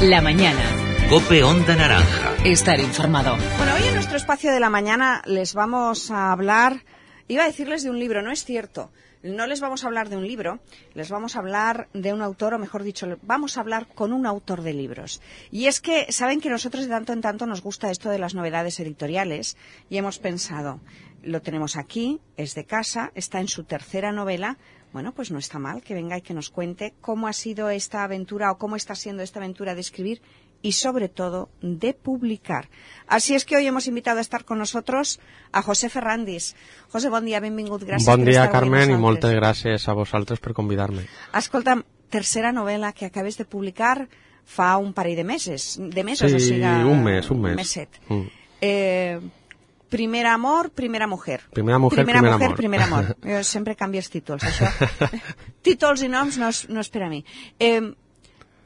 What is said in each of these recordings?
La mañana. COPE Onda Naranja. Estar informado. Bueno, hoy en nuestro espacio de la mañana les vamos a hablar, iba a decirles de un libro, no es cierto. No les vamos a hablar de un libro, les vamos a hablar de un autor, o mejor dicho, vamos a hablar con un autor de libros. Y es que saben que nosotros de tanto en tanto nos gusta esto de las novedades editoriales y hemos pensado, lo tenemos aquí, es de casa, está en su tercera novela. Bueno, pues no está mal que venga y que nos cuente cómo ha sido esta aventura o cómo está siendo esta aventura de escribir y, sobre todo, de publicar. Así es que hoy hemos invitado a estar con nosotros a José Ferrandis. José, bon dia, benvingut. Gràcies bon per dia, estar Carmen, avui i moltes gràcies a vosaltres per convidar-me. Escolta'm, tercera novel·la que acabes de publicar fa un parell de mesos, sí, o sigui... un mes. Meset. Primer amor, primera mujer. Primera mujer, primer amor. Jo sempre canvio els títols, això. Títols i noms no és per a mi.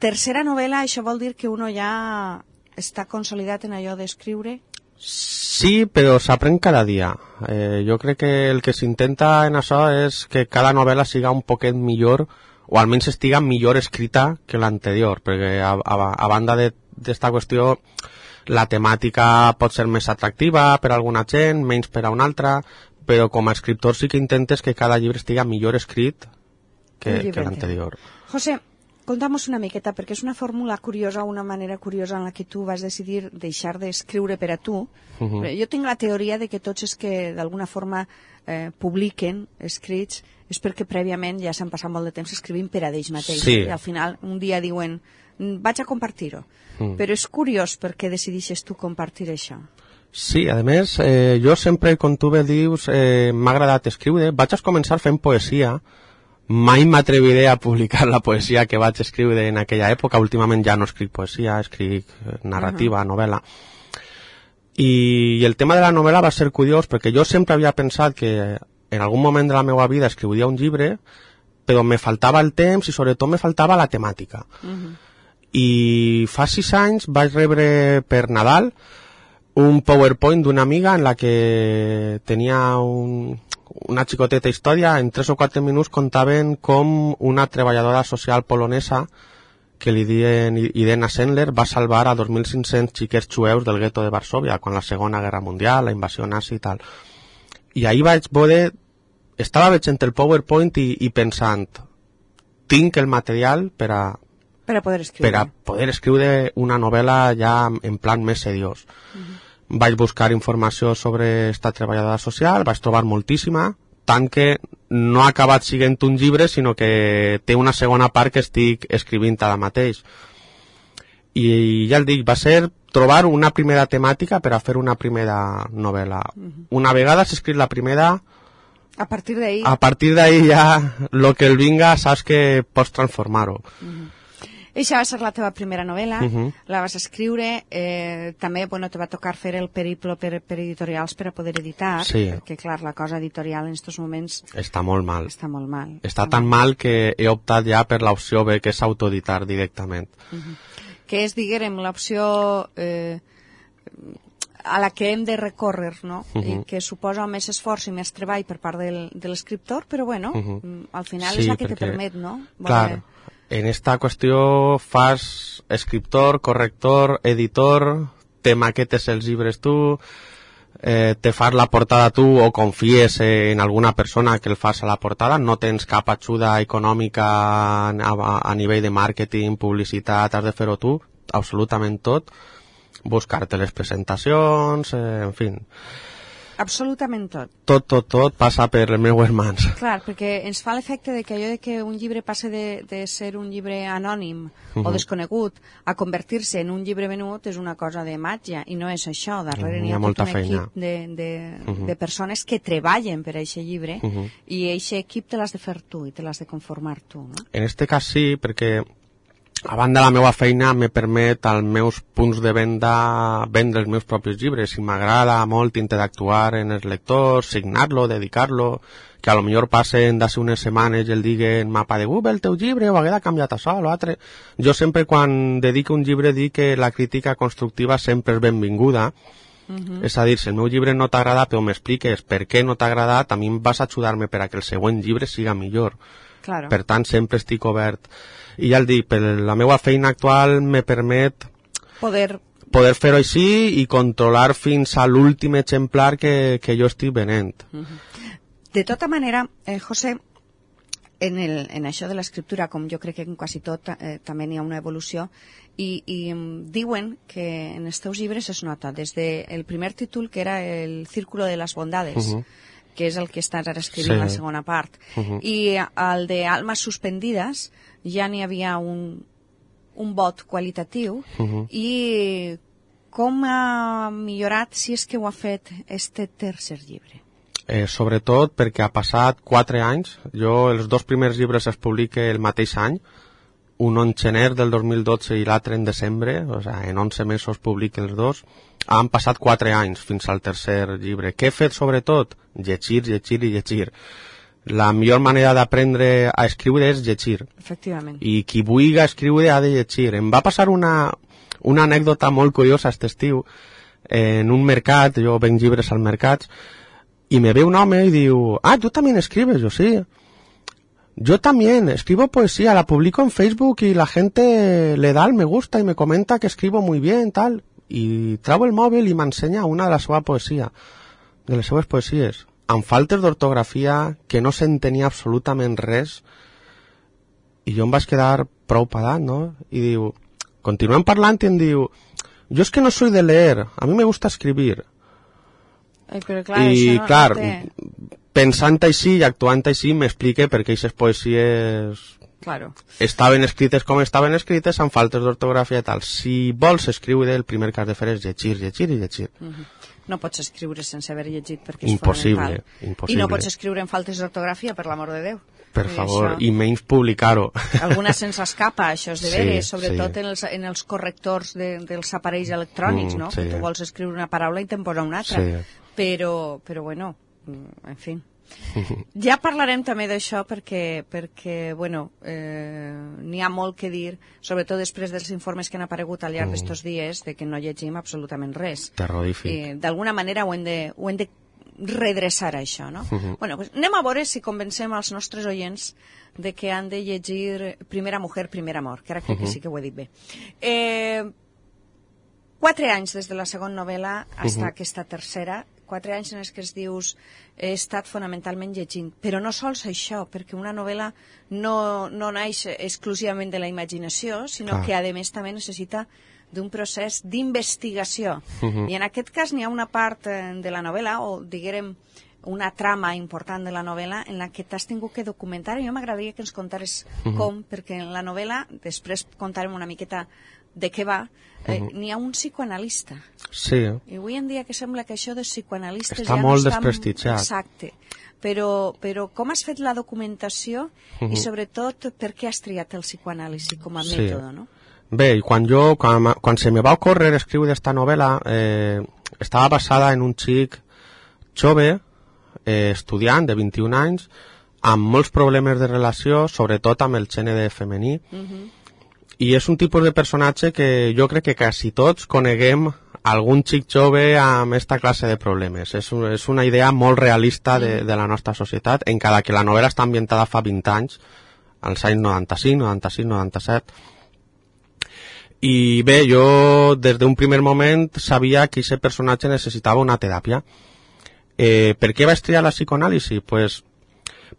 Tercera novel·la, això vol dir que uno ja està consolidat en allò d'escriure? Sí, però s'aprèn cada dia. Jo crec que el que s'intenta en això és que cada novel·la siga un poquet millor, o almenys estiga millor escrita que l'anterior, perquè a banda d'esta qüestió, la temàtica pot ser més atractiva per a alguna gent, menys per a una altra, però com a escriptor sí que intentes que cada llibre estiga millor escrit que l'anterior. José, conta'mos una miqueta, perquè és una fórmula curiosa, una manera curiosa en la que tu vas decidir deixar d'escriure per a tu. Jo tinc la teoria de que tots els que d'alguna forma publiquen escrits és perquè prèviament ja s'han passat molt de temps escrivint per a ells mateixos. Sí. I al final un dia diuen, vaig a compartir-ho. Però és curiós perquè decideixes tu compartir això. Sí, a més, jo sempre, com tu bé dius, m'ha agradat escriure. Vaig començar fent poesia. Mai m'atreviré a publicar la poesia que vaig escriure en aquella època. Últimament ja no escric poesia, escric narrativa, novel·la. I el tema de la novel·la va ser curiós perquè jo sempre havia pensat que en algun moment de la meva vida escriuria un llibre, però me faltava el temps i sobretot me faltava la temàtica. I fa 6 anys vaig rebre per Nadal un PowerPoint d'una amiga en la que tenia una xicoteta història. En 3 o 4 minuts contaven com una treballadora social polonesa que li diuen Irena Sendler va salvar a 2.500 xiquets jueus del gueto de Varsòvia quan la Segona Guerra Mundial, la invasió nazi i tal. I ahir vaig veure, estava veient el PowerPoint i pensant, tinc el material per a poder escriure una novel·la ja en plan més seriós. Vaig buscar informació sobre esta treballadora social, vaig trobar moltíssima, tant que no ha acabat sent un llibre, sinó que té una segona part que estic escrivint ara mateix. I ja el dic, va ser trobar una primera temàtica per a fer una primera novel·la. Una vegada s'ha escrit la primera, a partir d'ahir ja el que el vinga saps que pots transformar-ho. Eixa va ser la teva primera novel·la, la vas escriure, també te va tocar fer el periplo per editorials per a poder editar, perquè clar, la cosa editorial en aquests moments està molt mal. Està tan mal que he optat ja per l'opció B, que és autoeditar directament. Que és, diguem, l'opció a la que hem de recórrer, no? I que suposa més esforç i més treball per part de l'escriptor, però bueno, al final és la que te permet, no? Clar. En esta qüestió fas escriptor, corrector, editor, te maquetes els llibres tu, te fas la portada tu o confies en alguna persona que el fas a la portada, no tens cap ajuda econòmica a nivell de màrqueting, publicitat, has de fer-ho tu, absolutament tot, buscar-te les presentacions, en fi. Absolutament tot. Tot passa per les meues mans. Clar, perquè ens fa l'efecte de que allò de que un llibre passe de ser un llibre anònim o desconegut a convertir-se en un llibre venut és una cosa de màgia, i no és això. Darrere n'hi ha tot un equip de persones que treballen per a aquest llibre i aquest equip te l'has de fer tu i te l'has de conformar tu, no? En este cas sí, perquè a banda la meva feina me permet als meus punts de venda vendre els meus propis llibres i m'agrada molt interactuar en els lectors, signar-lo, dedicar-lo, que a lo millor passen d'ací unes setmanes i el diguen mapa de Google, el teu llibre, o haguera canviat això o l'altre. Jo sempre quan dedico un llibre dic que la crítica constructiva sempre és benvinguda. És a dir, si el meu llibre no t'agrada però m'expliques per què no t'ha agradat, a mi em vas a ajudar-me per a que el següent llibre siga millor. Claro. Per tant, sempre estic obert. I ja el dic, per la meva feina actual me permet poder fer-ho així i controlar fins a l'últim exemplar que jo estic venent. De tota manera, José, en això de l'escriptura, com jo crec que en quasi tot també n'hi ha una evolució, i diuen que en els teus llibres es nota des del primer títol, que era el Círculo de las Bondades, que és el que estàs ara escrivint la segona part, i el de Almas Suspendides ja n'hi havia un vot qualitatiu, i com ha millorat, si és que ho ha fet, este tercer llibre? Sobretot perquè ha passat 4 anys. Jo els 2 primers llibres es publiquen el mateix any, un en gener del 2012 i l'altre en desembre, o sigui, en 11 mesos publiquen els 2. Han passat 4 anys fins al tercer llibre. Què he fet sobretot? Llegir, llegir i llegir. La millor manera d'aprendre a escriure és llegir. Efectivament. I qui vulgui escriure ha de llegir. Em va passar una anècdota molt curiosa aquest estiu. En un mercat, jo venc llibres al mercat, y me ve un hombre y digo, ¿tú también escribes? Yo sí. Yo también escribo poesía, la publico en Facebook y la gente le da el me gusta y me comenta que escribo muy bien, tal. Y traigo el móvil y me enseña una de les seves poesies, amb faltes d'ortografia, que no s'entenia absolutament res, i jo em vaig quedar prou padat, no? I diu, continuem parlant i em diu, jo és que no soy de leer, a mi me gusta escribir. Però clar, i això clar, no té... pensant així i actuant així m'explique perquè aquestes poesies estaven escrites com estaven escrites, amb faltes d'ortografia i tal. Si vols escriure, el primer que has de fer és llegir, llegir i llegir. No pots escriure sense haver llegit perquè és impossible, fonamental. Impossible. I no pots escriure en faltes d'ortografia, per l'amor de Déu. Per favor, i menys publicar-ho. Alguna se'ns escapa, això és de veres, sobretot en els correctors dels aparells electrònics, no? Que tu vols escriure una paraula i te'n posa una altra. Però bueno, en fi. Ja parlarem també d'això perquè bueno, n'hi ha molt que dir, sobretot després dels informes que han aparegut al llarg d'estos dies, de que no llegim absolutament res. Terrorífic. D'alguna manera ho hem de redreçar, això, no? Bueno, pues anem a veure si convencem als nostres oients de que han de llegir Primera mujer, primer amor, que ara crec que sí que ho he dit bé. 4 anys des de la segona novel·la fins a aquesta tercera, 4 anys en els que es dius he estat fonamentalment llegint, però no sols això, perquè una novel·la no naix exclusivament de la imaginació, sinó que a més també necessita d'un procés d'investigació. I en aquest cas n'hi ha una part de la novel·la, o diguem una trama important de la novel·la en la que t'has tingut que documentar, i jo m'agradaria que ens contares com, perquè en la novel·la, després contarem una miqueta de què va, n'hi ha un psicoanalista. Sí. I avui en dia que sembla que això de psicoanalistes està ja molt no està... desprestigiat. Exacte. Però com has fet la documentació i sobretot per què has triat el psicoanàlisi com a mètode, no? Bé, quan se me va ocórrer escriure esta novel·la, estava basada en un xic jove, estudiant de 21 anys, amb molts problemes de relació, sobretot amb el gènere femení, i és un tipus de personatge que jo crec que quasi tots coneguem algun xic jove amb aquesta classe de problemes. És una idea molt realista de la nostra societat, encara que la novel·la està ambientada fa 20 anys, als anys 95, 96, 97. I bé, jo des d'un primer moment sabia que aquest personatge necessitava una teràpia. Per què vaig triar la psicoanàlisi? Pues,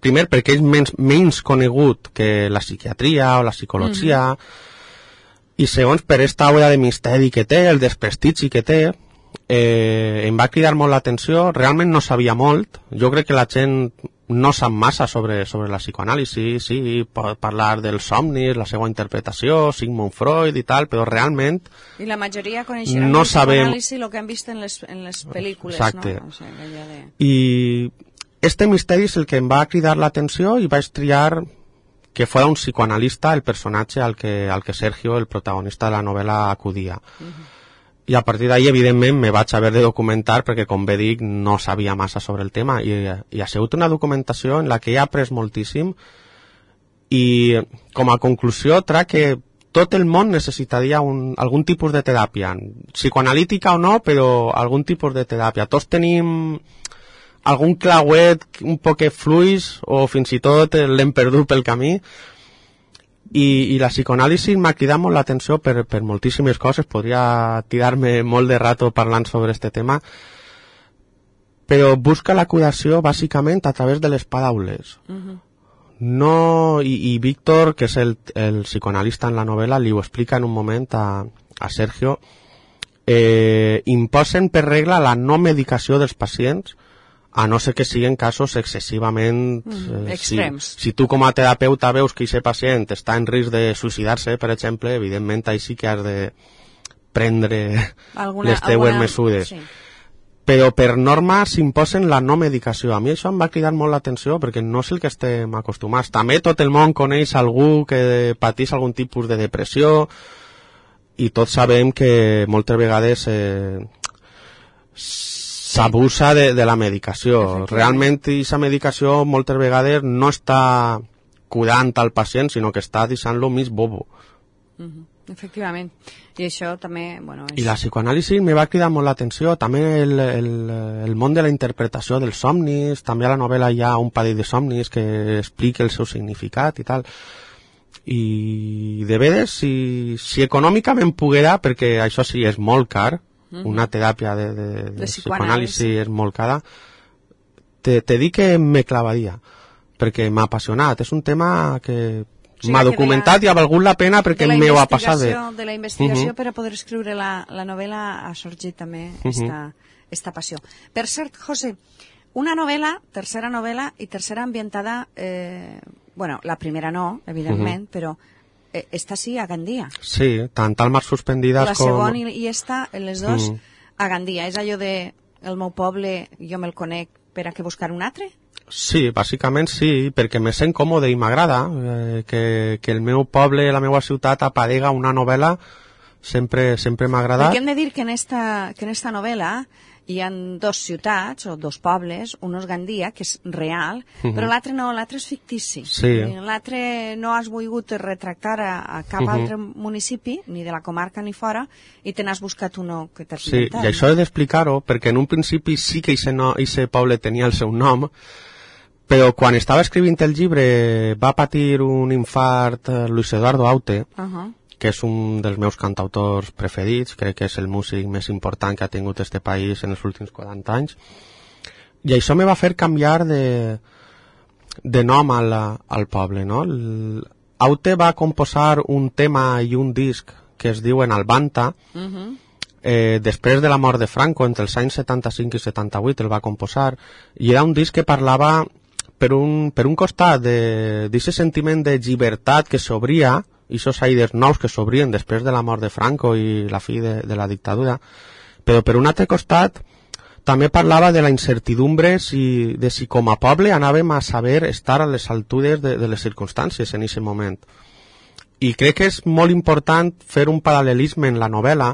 primer, perquè és menys conegut que la psiquiatria o la psicologia, i segons, per esta aura de misteri que té, el desprestigi que té, em va cridar molt l'atenció. Realment no sabia molt. Jo crec que la gent no sap massa sobre la psicoanàlisi, sí, pot parlar dels somnis, la seva interpretació, Sigmund Freud i tal, però realment i la majoria coneixeran no el psicoanàlisi el que han vist en les pel·lícules. Exacte. No? O sigui, I este misteri és el que em va cridar l'atenció i vaig triar que fos un psicoanalista el personatge al que Sergio, el protagonista de la novel·la, acudia. I a partir d'ahí, evidentment, me vaig haver de documentar perquè, com bé dic, no sabia massa sobre el tema, i ha sigut una documentació en la que he après moltíssim, i com a conclusió trec que tot el món necessitaria algun tipus de teràpia, psicoanalítica o no, però algun tipus de teràpia. Tots tenim algun clauet un poquet fluix o fins i tot l'hem perdut pel camí. I la psicoanàlisi m'ha cridat molt l'atenció per moltíssimes coses. Podria tirar-me molt de rato parlant sobre este tema, però busca la curació bàsicament a través de les paraules. No, i Víctor, que és el psicoanalista en la novel·la, li ho explica en un moment a Sergio, imposen per regla la no medicació dels pacients, a no ser que siguin casos excessivament extrems. Si tu com a terapeuta veus que aquest pacient està en risc de suïcidar-se, per exemple, evidentment ahí sí que has de prendre les teues mesures. Sí. Però per norma s'imposen la no medicació. A mi això em va cridar molt l'atenció perquè no és el que estem acostumats. També tot el món coneix algú que patís algun tipus de depressió i tots sabem que moltes vegades s'abusa de la medicació. Realment aquesta medicació moltes vegades no està curant al pacient, sinó que està deixant-lo més bobo. Efectivament. I això també... Bueno, I la psicoanàlisi me va cridar molt l'atenció. També el món de la interpretació dels somnis, també a la novel·la hi ha un parell de somnis que explica el seu significat i tal. I de veres, si econòmicament poguera, perquè això sí és molt car, una teràpia de psicoanàlisi és molt cara, te dic que me clavaria, perquè m'ha apassionat. És un tema que m'ha documentat i ha valgut la pena perquè m'ho ha passat bé. De la investigació per a poder escriure la novel·la ha sorgit també esta passió. Per cert, José, una novel·la, tercera novel·la i tercera ambientada, bueno, la primera no, evidentment, però esta sí a Gandia. Sí, tant al Mar Suspendides la com... La segona i esta, les dos, a Gandia. És allò de el meu poble, jo me'l conec per a què buscar un altre? Sí, bàsicament sí, perquè me sent còmode i m'agrada que el meu poble, la meva ciutat aparega una novel·la, sempre m'ha agradat. Perquè hem de dir que en esta novel·la hi ha dos ciutats o dos pobles, un és Gandia, que és real, però l'altre no, l'altre és fictici. Sí. L'altre no has volgut retractar a cap altre municipi, ni de la comarca ni fora, i te n'has buscat uno que t'has inventat. Sí, i això he d'explicar-ho, perquè en un principi sí que aquest poble tenia el seu nom, però quan estava escrivint el llibre va patir un infart Luis Eduardo Aute, que és un dels meus cantautors preferits, crec que és el músic més important que ha tingut este país en els últims 40 anys, i això me va fer canviar de nom al poble, no? Aute va composar un tema i un disc que es diuen Albanta, després de la mort de Franco, entre els anys 75 i 78 el va composar, i era un disc que parlava per un costat d'aquest sentiment de llibertat que s'obria, i aquests aires nous que s'obrien després de la mort de Franco i la fi de la dictadura, però per un altre costat també parlava de la incertidumbre de si com a poble anàvem a saber estar a les altures de les circumstàncies en aquest moment. I crec que és molt important fer un paral·lelisme en la novel·la,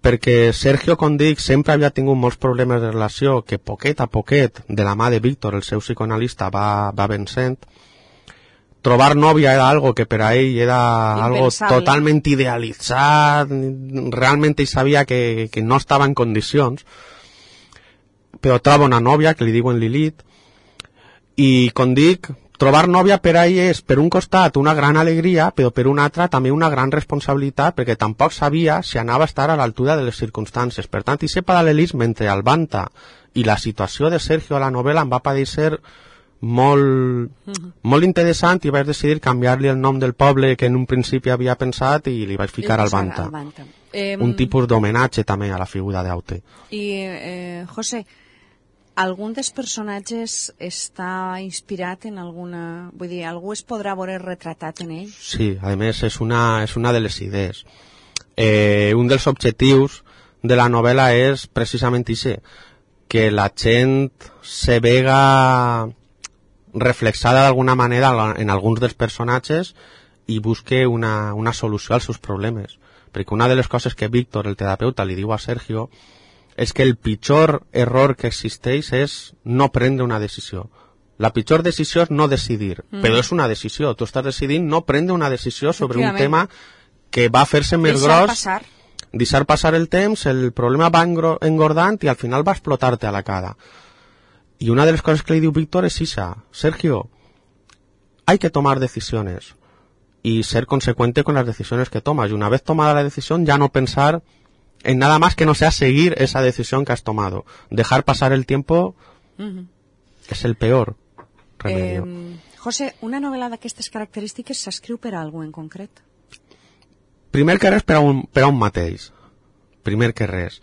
perquè Sergio, com dic, sempre havia tingut molts problemes de relació que poquet a poquet, de la mà de Víctor, el seu psicoanalista, va vencent. Trobar nòvia era algo que per a ell era algo totalment idealitzat, realment ell sabia que no estava en condicions, però troba una nòvia que li diuen Lilith, i com dic, trobar nòvia per a ell és per un costat una gran alegria, però per un altre també una gran responsabilitat, perquè tampoc sabia si anava a estar a l'altura de les circumstàncies. Per tant, aquest paral·lelisme entre Albanta i la situació de Sergio a la novel·la em va parecer molt interessant, i vaig decidir canviar-li el nom del poble que en un principi havia pensat i li vaig ficar Albanta. Un tipus d'homenatge també a la figura d'Aute. I, José, algun dels personatges està inspirat en alguna... Vull dir, algú es podrà veure retratat en ell? Sí, a més és una de les idees. Un dels objectius de la novel·la és precisament això, que la gent se vega reflexada d'alguna manera en alguns dels personatges i busque una solució als seus problemes. Perquè una de les coses que Víctor, el terapeuta, li diu a Sergio és que el pitjor error que existeix és no prendre una decisió. La pitjor decisió és no decidir, però és una decisió. Tu estàs decidint no prendre una decisió sobre un tema que va fer-se més gros, deixar passar el temps, el problema va engordant i al final va explotar-te a la cara. Y una de las cosas que le diu Víctor es esa: Sergio, hay que tomar decisiones y ser consecuente con las decisiones que tomas. Y una vez tomada la decisión, ya no pensar en nada más que no sea seguir esa decisión que has tomado. Dejar pasar el tiempo és el peor remedio. José, una novel·la d'aquestes característiques s'escriu per a algú en concret? Primer que res per a un mateix. Primer que res.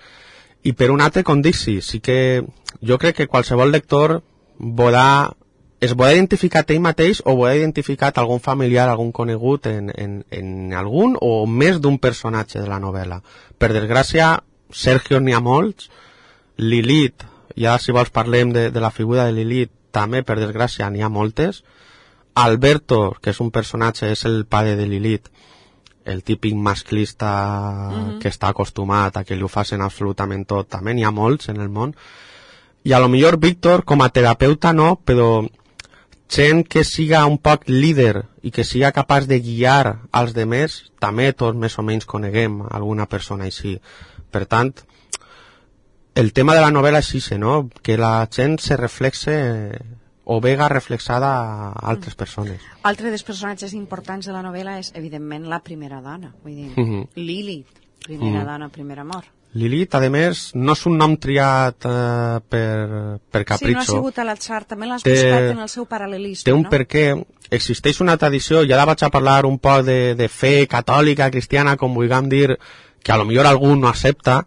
I per un altre, com dic, sí que jo crec que qualsevol lector es podrà identificar ell mateix o podrà identificar algun familiar, algun conegut en algun o més d'un personatge de la novel·la. Per desgràcia, Sergio n'hi ha molts, Lilith, ja si vols parlem de la figura de Lilith, també per desgràcia n'hi ha moltes. Alberto, que és un personatge, és el pare de Lilith, el típic masclista que està acostumat a que li ho facin absolutament tot, també n'hi ha molts en el món. I a lo millor Víctor, com a terapeuta no, però gent que siga un poc líder i que siga capaç de guiar als demés, també tots més o menys coneguem alguna persona així. Per tant, el tema de la novel·la és això, no? Que la gent se reflexe o vega reflexada a altres persones. Altre dels personatges importants de la novel·la és, evidentment, la primera dona. Vull dir, Lilith, primera dona, primer amor. Lilith, a més, no és un nom triat per capritxo. Sí, no ha sigut a l'atzar, també l'has buscat en el seu paral·lelisme, té un no? perquè, existeix una tradició, ja la vaig a parlar un poc de fe catòlica, cristiana, com vulguem dir, que a lo millor algú no accepta,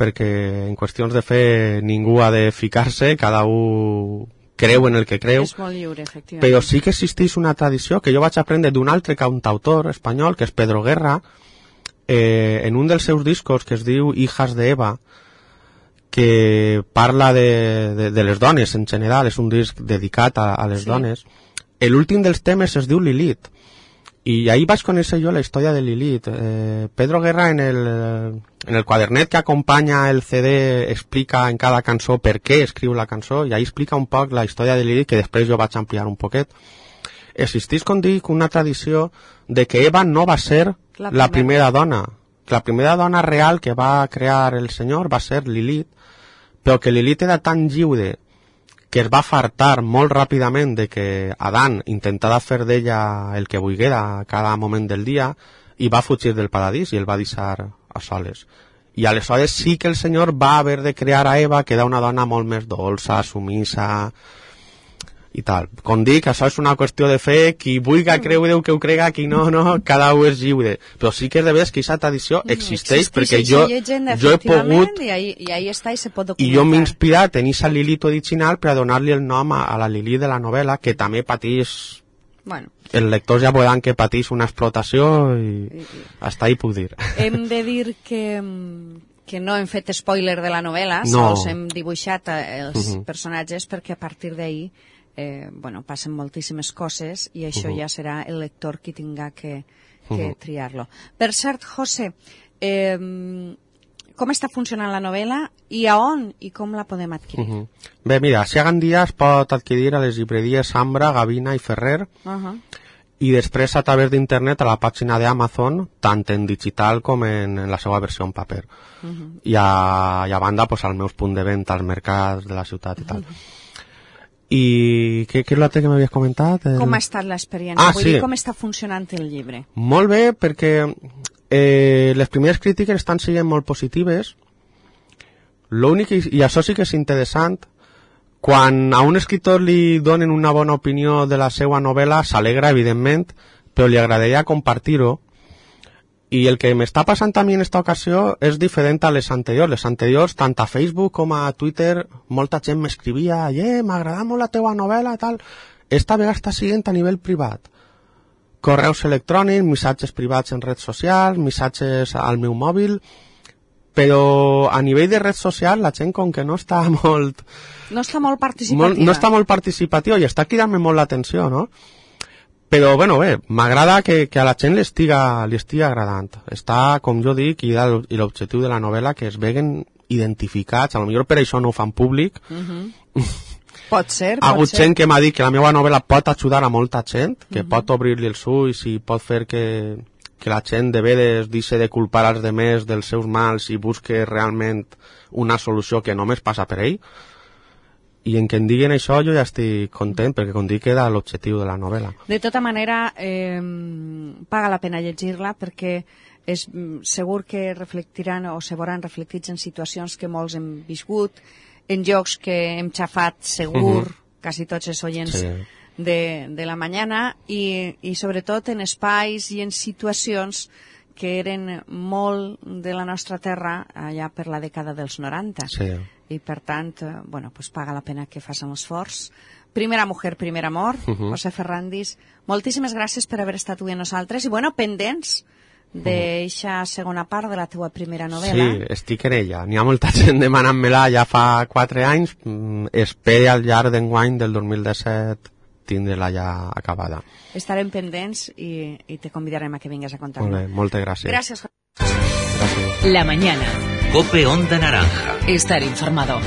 perquè en qüestions de fe ningú ha de ficar-se, cada un creu en el que creu. És molt lliure, efectivament. Però sí que existeix una tradició que jo vaig aprendre d'un altre cantautor espanyol, que és Pedro Guerra, en un dels seus discos que es diu Hijas de Eva, que parla de les dones en general, és un disc dedicat a les dones. L'últim dels temes es diu Lilith, i ahí vaig conèixer jo la història de Lilith. Pedro Guerra en el quadernet que acompanya el CD explica en cada cançó per què escriu la cançó, i ahí explica un poc la història de Lilith, que després jo vaig ampliar un poquet. Existeix, com dic, una tradició de que Eva no va ser la primera dona. Que la primera dona real que va crear el senyor va ser Lilith, però que Lilith era tan lliure que es va fartar molt ràpidament de que Adán intentava fer d'ella el que volguera a cada moment del dia, i va fugir del paradís i el va deixar a soles. I aleshores sí que el senyor va haver de crear a Eva, que era una dona molt més dolça, sumisa i tal. Com dic, això és una qüestió de fe, qui vulgui creure que ho crega, qui no, cada un és lliure. Però sí que és de veres que aquesta tradició existeix, perquè jo he pogut, i ahí està i se pot documentar. i jo m'he inspirat en aquesta Lilith original per a donar-li el nom a la Lilith de la novel·la, que també pateix, els lectors ja veuran que pateix una explotació i hasta ahí puc dir. Hem de dir que no hem fet spoiler de la novel·la, sols hem dibuixat els personatges, perquè a partir d'ahir passen moltíssimes coses i això ja serà el lector qui tinga que triar-lo. Per cert, José, com està funcionant la novel·la i a on i com la podem adquirir? Bé, mira, si a Gandia es pot adquirir a les llibreries Ambra, Gavina i Ferrer, i després a través d'internet a la pàgina d'Amazon, tant en digital com en la seva versió en paper. I a banda, als meus punts de venda als mercats de la ciutat i tal. I què és l'altre que m'havies comentat? Com ha estat l'experiència? Vull dir, com està funcionant el llibre? Molt bé, perquè les primeres crítiques estan sent molt positives. L'únic, i això sí que és interessant, quan a un escriptor li donen una bona opinió de la seva novel·la, s'alegra, evidentment, però li agradaria compartir-ho. I el que m'està passant a mi en aquesta ocasió és diferent a les anteriors. Les anteriors, tant a Facebook com a Twitter, molta gent m'escrivia m'agrada molt la teua novel·la, tal. Esta vegada està sent a nivell privat. Correus electrònics, missatges privats en redes socials, missatges al meu mòbil, però a nivell de red social la gent com que no està molt... No està molt participativa. No està molt participativa i està cridant-me molt l'atenció, no? Però, bé, m'agrada que a la gent li estiga agradant. Està, com jo dic, i l'objectiu de la novel·la, que es veguen identificats, potser per això no ho fan públic. Pot ser, ha hagut gent que m'ha dit que la meva novel·la pot ajudar a molta gent, que pot obrir-li els ulls i pot fer que la gent de veres deixi de culpar als demés dels seus mals i busque realment una solució que només passa per ell. i en què em diguin això jo ja estic content, perquè com dic era l'objectiu de la novel·la. De tota manera, paga la pena llegir-la perquè és segur que reflectiran o se veuran reflectits en situacions que molts hem viscut, en llocs que hem xafat segur, quasi tots els oients de la mañana, i sobretot en espais i en situacions que eren molt de la nostra terra allà per la dècada dels 90. I per tant, bueno, pues paga la pena que facin l'esforç. Primera mujer, primer amor, José Ferrandis, moltíssimes gràcies per haver estat avui amb nosaltres i, bueno, pendents d'eixa segona part de la teua primera novel·la. Sí, estic en ella. N'hi ha molta gent demanant-me-la ja fa 4 anys. Espero al llarg d'enguany del 2017 tindre-la ja acabada. Estarem pendents i te convidarem a que vingues a contar-ho. Molt bé, moltes gràcies. Gràcies. La mañana. COPE Onda Naranja. Estar informado.